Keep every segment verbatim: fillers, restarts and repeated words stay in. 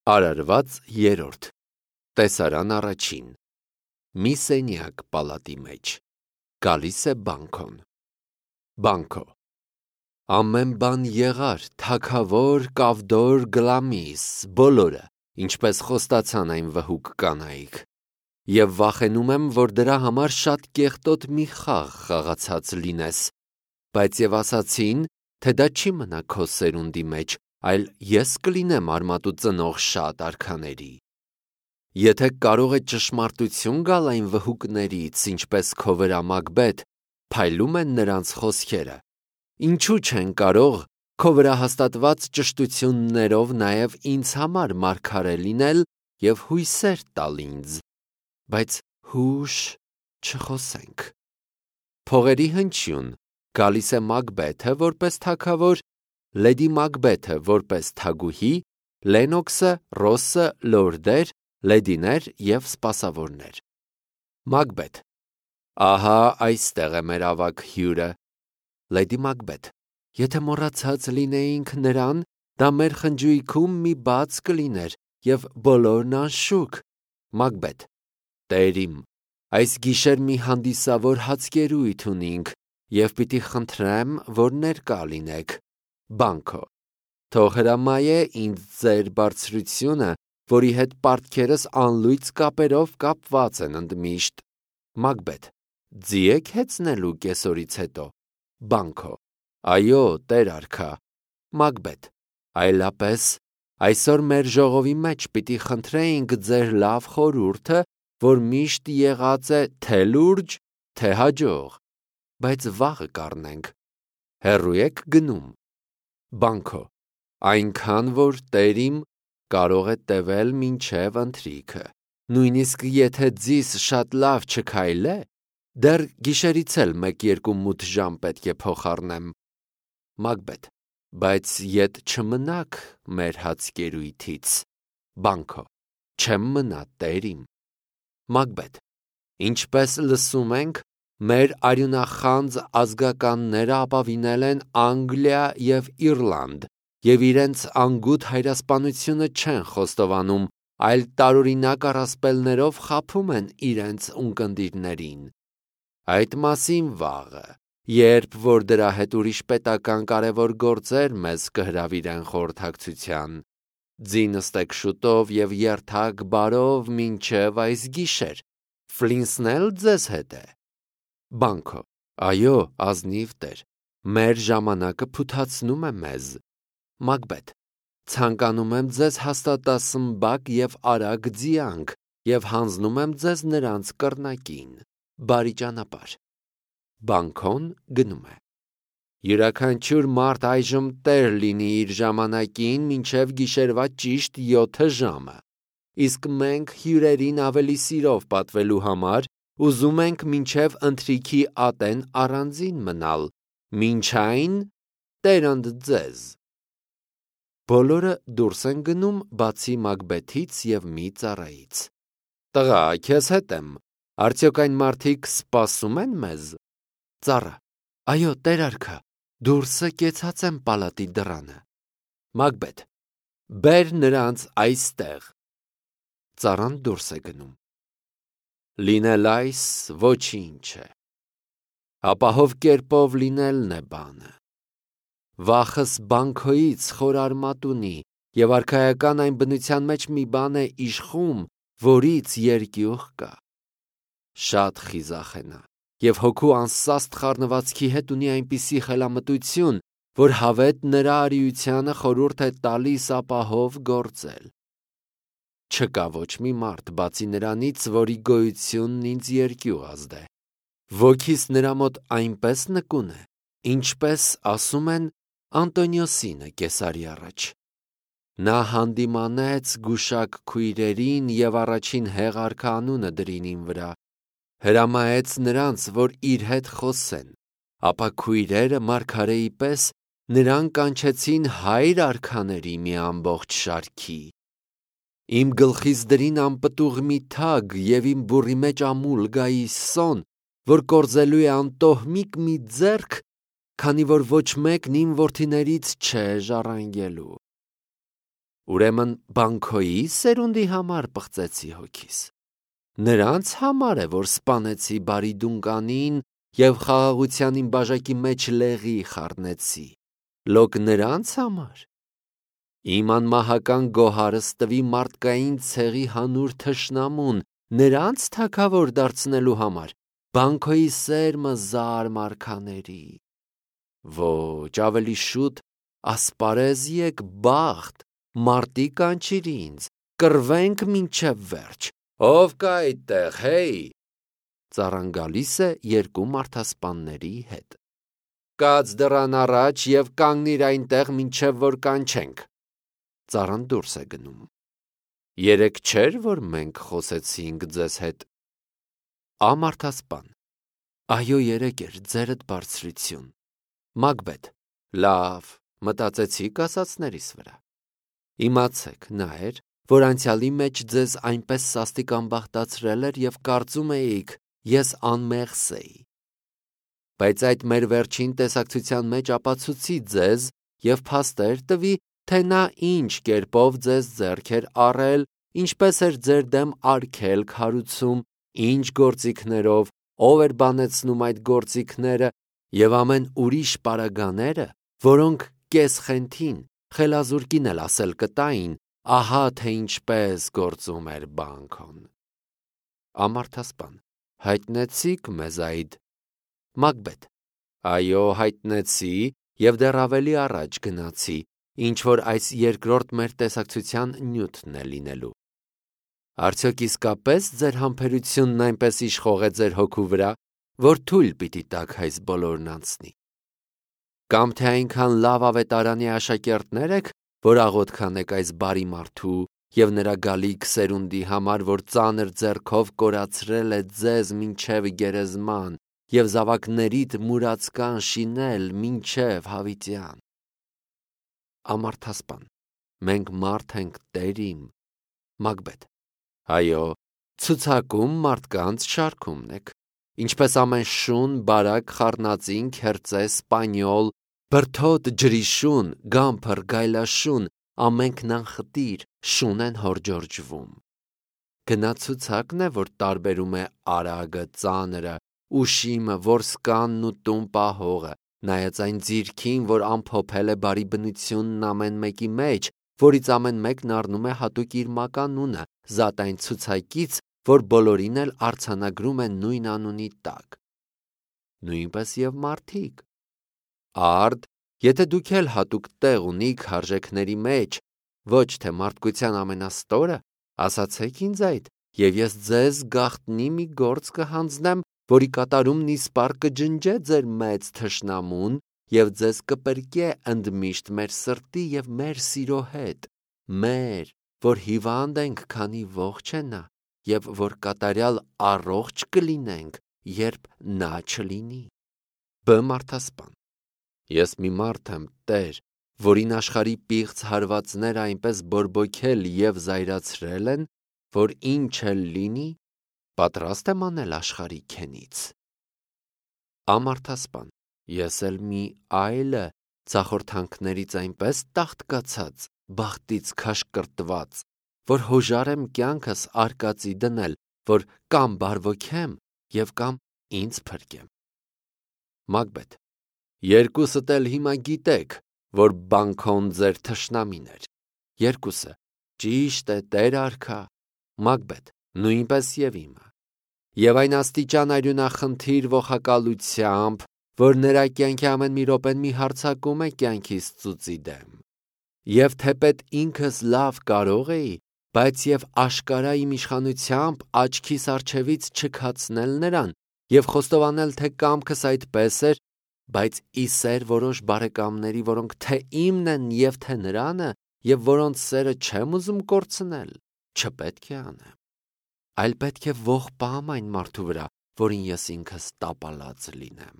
Արարված երրորդ Տեսարան առաջին Մի սենյակ պալատի մեջ Գալիս է Բանքոն Բանքո Ամեն բան եղար, թագավոր, կավդոր, գլամիս, բոլորը, ինչպես խոստացան այն վհուկ կանայք, և վախենում եմ, որ դրա համար շատ կեղտոտ մի խաղ խաղացած լինես, բայց և ասացին, թե դա չի մնա քո սերունդի մեջ, այլ ես կլինեմ արմատու ծնող շատ արքաների։ Եթե կարող է ճշմարտություն գալ այն վհուկներից, ինչպես քո վրա Մակբեթ, փայլում են նրանց խոսքերը, ինչու չեն կարող քո վրա հաստատված ճշտություններով նաև ինձ համար մարգարե լինել և հույսեր տալ ինձ, բայց հուշ չխոսենք։ Փողերի հնչյուն գալիս է Մակբեթը որպես թագավոր, Լեդի Մակբեթը որպես թագուհի, Լենոքսը, Ռոսը, լորդեր, լեդիներ և սպասավորներ։ Մակբեթ. Ահա այստեղ է մեր ավագ հյուրը։ Լեդի Մակբեթ. Եթե մոռացած լինեինք նրան, դա մեր խնջույքում մի բաց կլիներ և բոլորն անշուք։ Մակբեթ. Տեր իմ, այս գիշեր մի հանդիսավոր հացկերույթ ունինք և պիտի խնդրեմ, որ ներկա լինեք։ Բանքո. Թող հրամայե ինձ ձեր բարձրությունը, որի հետ պարտքերս անլույծ կապերով կապված են ընդմիշտ։ Մակբեթ. Ձի եք հեծնելու կեսօրից հետո։ Բանքո. Այո, տեր արքա։ Մակբեթ. Այլապես այսօր մեր ժողովի մեջ պիտի խնդրեինք ձեր լավ խորհուրդը, որ միշտ եղած է թե լուրջ, թե հաջող, բայց վաղը կառնենք։ Հեռու եք գնում։ Բանքո. Այնքան, որ տեր իմ կարող է տևել մինչև ընթրիքը, նույնիսկ եթե ձիս շատ լավ չքայլե, դեռ գիշերից էլ մեկ-երկու մութ ժամ պետք է փոխառնեմ։ Մակբեթ. Բայց ետ չմնաք մեր հացկերույթից։ Բանքո. Չեմ մնա, տեր իմ։ Մակբեթ. Ինչպես լսում ենք, մեր արյունախանձ ազգականները ապավինել են Անգլիա և Իռլանդ և իրենց անգութ հայրասպանությունը չեն խոստովանում, այլ տարօրինակ առասպելներով խաբում են իրենց ունկնդիրներին։ Այդ մասին վաղը, երբ որ դրա հետ ուրիշ պետական կարևոր գործեր մեզ կհրավիրեն խորհրդակցության, ձի նստեք շուտով և երթակ բարով մինչև այս գիշեր, Ֆլինսն էլ ձեզ հետ է։ Բանքո. Այո, ազնիվ տեր, մեր ժամանակը փութացնում է մեզ։ Մակբեթ. Ցանկանում եմ ձեզ հաստատասմբակ և արագ ձիանք և հանձնում եմ ձեզ նրանց կռնակին։ Բարի ճանապարհ։ Բանքոն գնում է։ Յուրաքանչյուր մարդ այժմ տեր լինի իր ժամանակին մինչև գիշերվա ճիշտ յոթը ժամը, իսկ մենք հյուրերին ավելի սիրով պատվելու համար ուզում ենք մինչև ընթրիքի ատեն առանձին մնալ, մինչ այն տեր ընդ ձեզ։ Բոլորը դուրս են գնում, բացի Մակբեթից և մի ծառայից։ Տղա, քեզ հետ եմ, արդյոք այն մարդիկ սպասում են մեզ։ Ծառա. Այո, տեր արքա, դուրսը կեցած եմ պալատի դռանը։ Մակբեթ. Բեր նրանց այստեղ։ Ծառան դուրս է գնում։ Լինել այս ոչինչ է։ Ապահով կերպով լինելն է բանը։ Վախս Բանքոյից խոր արմատ ունի, և արքայական այն բնության մեջ մի բան է իշխում, որից երկյուղ կա։ Շատ խիզախ է նա, և հոգու անսաստ խառնվածքի հետ ունի այնպիսի խելամտություն, որ հավետ նրա արիությանը խորհուրդ է տալիս ապահով գործել։ Չկա ոչ մի մարդ, բացի նրանից, որի գոյությունն ինձ երկյուղ ազդե։ Ոգիս նրա մոտ այնպես նկուն է, ինչպես ասում են Անտոնիոսինը կեսարի առաջ։ Նա հանդիմանեց գուշակ քույրերին և առաջին հեղարքը անունը դրին իմ վրա, հրամայեց նրանց, որ իր հետ խոսեն, ապա քույրերը մարգարեի պես նրան կանչեցին հայր արքաների մի ամբողջ շարքի։ Իմ գլխիս դրին անպտուղ մի թագ և իմ բուրի մեջ ամուլ գայի սոն, որ կորզելու է անտոհմիկ մի ձեռք, քանի որ ոչ մեկն իմ որդիներից չէ ժառանգելու։ Ուրեմն Բանքոյի սերունդի համար պղծեցի հոգիս։ Նրանց համար է, որ սպանեցի բարի դունկանին և խաղաղության իմ բաժակի մեջ լեղի խառնեցի, լոկ նրանց համար։ Իմ անմահական գոհարս տվի մարդկային ցեղի հանուր թշնամուն, նրանց թագավոր դարձնելու համար, Բանքոյի սերմը զարմարքաների։ Ոչ, ավելի շուտ ասպարեզ եկ բախտ, մարտի կանչիր ինձ, կռվենք մինչև վերջ, ով կա այդտեղ, հեյ։ Ծառան գալիս է երկու մարդասպանների հետ։ Կաց դռան առաջ և կանգնիր այնտեղ, մինչև որ կանչենք։ Ծառան դուրս է գնում։ Երեկ չէր, որ մենք խոսեցինք ձեզ հետ։ Ամարդասպան. Այո, երեկ էր, ձերդ բարձրություն։ Մագբեթ. լավ, մտածեցիք ասածներիս վրա։ Իմացեք, նա էր, որ անցյալի մեջ ձեզ այնպես սաստիկ անբախտացրել էր և կարծում էիք, ես անմեղս էի։ Բայց այդ մեր վերջին տեսակցության մեջ ապացուցի ձեզ և փաստեր տվի, թե նա ինչ կերպով ձեզ ձեռք էր առել, ինչպես էր ձեր դեմ արգելք հարուցում, ինչ գործիքներով, ով էր բանեցնում այդ գործիքները և ամեն ուրիշ պարագաները, որոնք կեսխենթին, խելազուրկին էլ ասել կտային, ահա թե ինչպես գործում էր Բանքոն։ Ամարդասպան. հայտնեցիք մեզ այդ։ Մագբեթ. այո, հայտնեցի և դեռ ավելի առաջ գնացի, ինչ որ այս երկրորդ մեր տեսակցության նյութն է լինելու։ Արդյոք իսկապես ձեր համբերությունն այնպես իշխող է ձեր հոգու վրա, որ թույլ պիտի տաք այս բոլորն անցնի։ Կամ թե այնքան լավ ավետարանի աշակերտներ եք, որ աղոթք անեք այս բարի մարդու և նրա գալիք սերունդի համար, որ ծանր ձեռքով կորացրել է ձեզ մինչև գերեզման և զավակներիդ մուրացկան շինել մինչև հավիտյան։ Ամարդասպան. մենք մարդ ենք, Տեր իմ։ Մագբեթ. այո, ցուցակում մարդկանց շարքումն եք, ինչպես ամեն շուն, բարակ, խառնածին, քերծե, սպանյոլ, բրդոտ, ջրի շուն, գամփր, գայլաշուն, ամենքն անխտիր, շուն են հորջորջվում։ Գնացուցակն է, որ տարբերում է արագը, ծանրը, ուշիմը, որսկանն ու տուն պահողը, նայած այն ձիրքին, որ ամփոփել է բարի բնությունն ամեն մեկի մեջ, որից ամեն մեկն առնում է հատուկ իր մականունը, զատ այն ցուցակից, որ բոլորին էլ արձանագրում է նույն անունի տակ։ Նույնպես և մարդիկ։ Արդ, եթե դուք էլ հատուկ տեղ ունիք արժեքների մեջ, ոչ թե մարդկության ամենաստորը, ասացեք ինձ այդ, և ես ձեզ գաղտնի մի գործ կհանձնեմ, որի կատարումն իսպառ կջնջե ձեր մեծ թշնամուն և ձեզ կպրկե ընդմիշտ մեր սրտի և մեր սիրո հետ, մեր, որ հիվանդ ենք, քանի ողջ է նա, և որ կատարյալ առողջ կլինենք, երբ նա չլինի։ Բ մարդասպան. ես մի մարդ եմ, Տեր, որին աշխարհի պիղծ հարվածները այնպես բորբոքել և զայրացրել են, որ ինչ էլ լինի, պատրաստ եմ անել աշխարհի քենից։ Ամարդասպան. ես էլ մի այլը, ցախորթանքներից այնպես տաղտկացած, բախտից քաշկրտված, որ հոժար եմ կյանքս արկածի դնել, որ կամ բարվոքեմ և կամ ինձ փրկեմ։ Մագբեթ. երկուսդ էլ հիմա գիտեք, որ Բանքոն ձեր թշնամին էր։ Երկուսը. ճիշտ է, Տեր արքա։ Մագբեթ. նույնպես և իմը։ Եվ այն աստիճան արյունախնդիր ողակալությամբ, որ նրա կյանքի ամեն մի րոպեն մի հարձակում է կյանքիս ծուծի դեմ։ Եվ թեպետ ինքս լավ կարող էի, բայց և աշկարա իմ իշխանությամբ աչքիս առջևից չքացնել նրան և խոստովանել, թե կամքս այդպես էր, բայց ի սեր որոշ բարեկամների, որոնք թե իմն են և թե նրանը, և որոնց սերը չեմ ուզում կորցնել, չպետք է անեմ, այլ պետք է ողբամ այն մարդու վրա, որին ես ինքս տապալած լինեմ։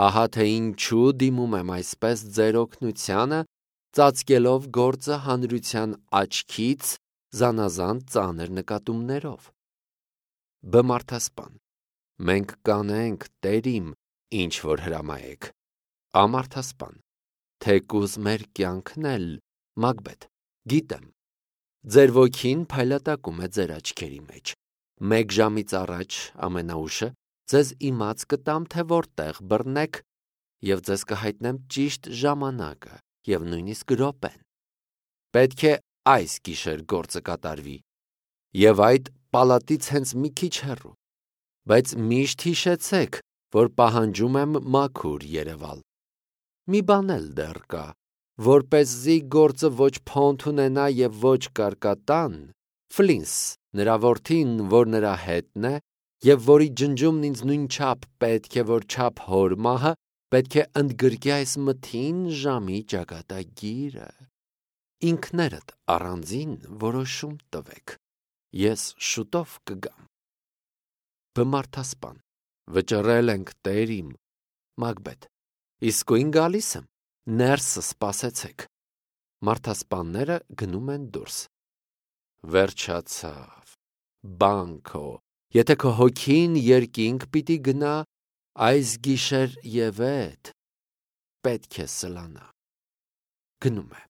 Ահա թե ինչու դիմում եմ այսպես ձեր օգնությանը, ծածկելով գործը հանրության աչքից զանազան ծանր նկատումներով։ Բ մարդասպան. մենք կանենք, Տեր իմ, ինչ որ հրամայեք։ Ամարդասպան. թեկուզ մեր կյանքն էլ, Մագբեթ, Գիտեմ, ձեր ոգին փայլատակում է ձեր աչքերի մեջ։ Մեկ ժամից առաջ ամենաուշը ձեզ իմաց կտամ, թե որտեղ բռնեք, և ձեզ կհայտնեմ ճիշտ ժամանակը և նույնիսկ րոպեն։ Պետք է այս գիշեր գործը կատարվի, և այդ պալատից հենց մի քիչ հեռու, բայց միշտ հիշեցեք, որ պահանջում եմ մաքուր երևալ։ Մի բան էլ դեռ կա, որպեսզի գործը ոչ փոնթ ունենա և ոչ կարկատան, Ֆլինս, նրա որդին, որ նրա հետն է, և որի ջնջումն ինձ նույնչափ պետք է, որչափ հոր մահը, պետք է ընդգրկի այս մթին ժամի ճակատագիրը։ Ինքներդ առանձին որոշում տվեք, ես շուտով կգամ։ Բմարդասպան. վճռել ենք, տեր իմ։ Մակբեթ. իսկույն գալիս եմ, ներսը սպասեցեք։ Մարդասպանները գնում են դուրս։ Վերջացավ, Բանկո, եթե քո հոգին երկինք պիտի գնա, այս գիշեր և էդ պետք է սլանա։ Գնում է։